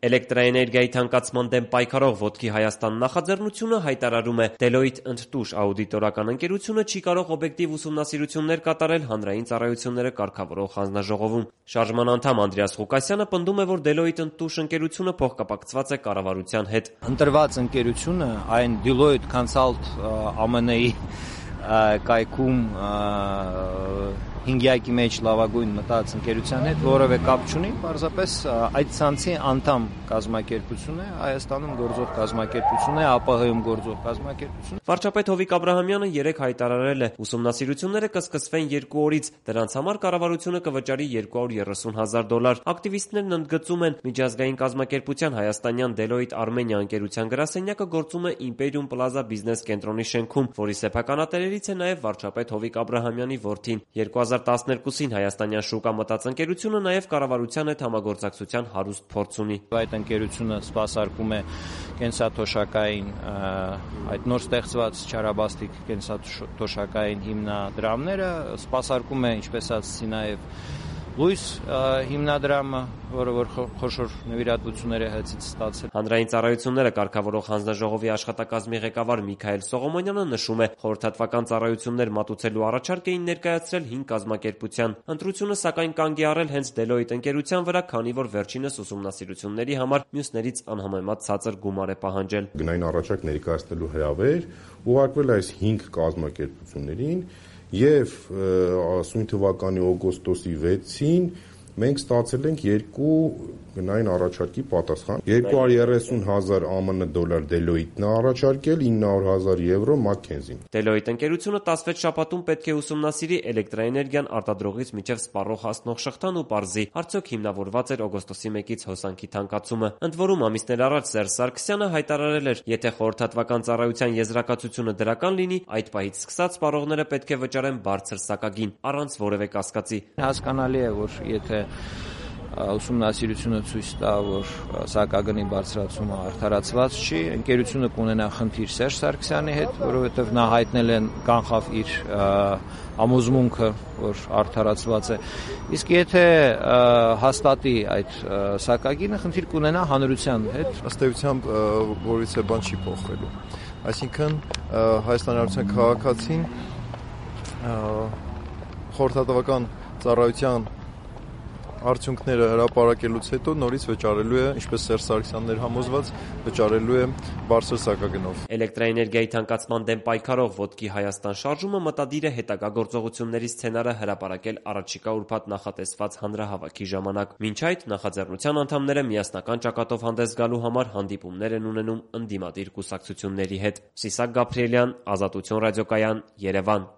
Էլեկտրաէներգիայի թանկացման դեմ պայքարող «Ոտքի Հայաստան» նախաձեռնությունը հայտարարում է. Deloitte ընդտուշ աուդիտորական ընկերությունը չի կարող օբյեկտիվ ուսումնասիրություններ կատարել հանրային ծառայությունները կարգավորող հանձնաժողովում։ Շարժման անդամ Անդրեաս Ղուկասյանը պնդում է, որ Deloitte ընդտուշ ընկերությունը փոխկապակցված է կառավարության հետ։ Ընտրված ընկերությունը այն Deloitte Consult ԱՄՆ-ի կայքում հինգյակի մեջ լավագույն մտած ընկերության հետ որևէ կապ չունի, պարզապես այդ ցանցի անդամ կազմակերպություն է, Հայաստանում գործող կազմակերպություն է, ԱՊՀ-ում գործող կազմակերպություն է։ Վարչապետ Հովիկ Աբրահամյանը երեկ հայտարարել է, ուսումնասիրությունները կսկսվեն 2 օրից, դրանց համար կառավարությունը կվճարի $230,000։ Ակտիվիստներն ընդգծում են, միջազգային կազմակերպության հայաստանյան Deloitte Armenia ընկերության գրասենյակը գործում է Imperium Plaza բիզնես կենտրոնի շենքում, որի սեփականատերերից է նաև վարչապետ Հովիկ Աբրահամյանի որդին։ 2012-ին հայաստանյան շուկա մտած ընկերությունը նաև կառավարության հետ համագործակցության հարուստ փորձ ունի։ Այդ ընկերությունը սպասարկում է կենսաթոշակային այդ նոր ստեղծված չարաբաստիկ կենսաթոշակային հիմնադրամները, սպասարկում է, ինչպես ասացի, նաև լույս հիմնադրամը, որը որ խոշոր նվիրատվություններ է հացից ստացել։ Հանրային ծառայությունները կարգավորող հանձնաժողովի աշխատակազմի ղեկավար Միքայել Սողոմոնյանը նշում է, խորհրդատվական ծառայություններ մատուցելու առաջարկ էին ներկայացրել 5 կազմակերպության։ Ընտրությունը սակայն կանգ է առել հենց Deloitte ընկերության վրա, քանի որ վերջինս ուսումնասիրությունների համար մյուսներից անհամեմատ ցածր գումար է պահանջել։ Գնային առաջարկ ներկայացնելու հրավեր ուղարկվել այս 5 կազմակերպություններին եւ ասույն թվականի օգոստոսի 6-ին մենք ստացել ենք 2 գնային առաջարկի պատասխան։ 230,000 ԱՄՆ դոլար Deloitte-ն է առաջարկել, 900,000 եվրո McKinsey-ն։ Deloitte ընկերությունը 16 շաբաթում պետք է ուսումնասիրի էլեկտրաէներգիան արտադրողից մինչև սպառող հասնող շղթան ու պարզի, արդյոք հիմնավորված էր օգոստոսի 1-ից հոսանքի թանկացումը։ Ընդ որում ամիսներ առաջ Սերժ Սարգսյանը հայտարարել էր, եթե խորհրդատվական ծառայության եզրակացությունը դրական լինի, այդ պահից սկսած սպառողները պետք է վճարեն բարձր սակագին, առանց որևէ կասկածի։ Հասկանալի է, որ եթե ուսումնասիրությունը ցույց տա, որ սակագնի բարձրացումը արդարացված չի, ընկերությունը կունենա խնդիր Սերժ Սարգսյանի հետ, որովհետև նա հայտնել է կանխավ իր համոզմունքը, որ արդարացված է։ Իսկ եթե հաստատի այդ սակագինը, խնդիր կունենա հանրության հետ։ Ըստ էությամբ որից է բան չի փոխվելու։ Այսինքն Հայաստանի Հանրապետության քաղաքացին խորհրդատվական ծառայության արդյունքները հրապարակելուց հետո նորից վճարելու է, ինչպես Սերժ Սարգսյանն էր համոզված, վճարելու է բարձր սակագնով։ Էլեկտրաէներգիայի թանկացման դեմ պայքարող «Ոտքի Հայաստան» շարժումը մտադիր է հետագա գործողությունների սցենարը հրապարակել առաջիկա ուրբաթ նախատեսված հանրահավաքի ժամանակ։ Մինչ այդ նախաձեռնության անդամները միասնական ճակատով հանդես գալու համար հանդիպումներ են ունենում ընդդիմադիր կուսակցությունների հետ։ Սիսակ Գաբրիելյան, Ազատություն ռադիոկայան, Երևան։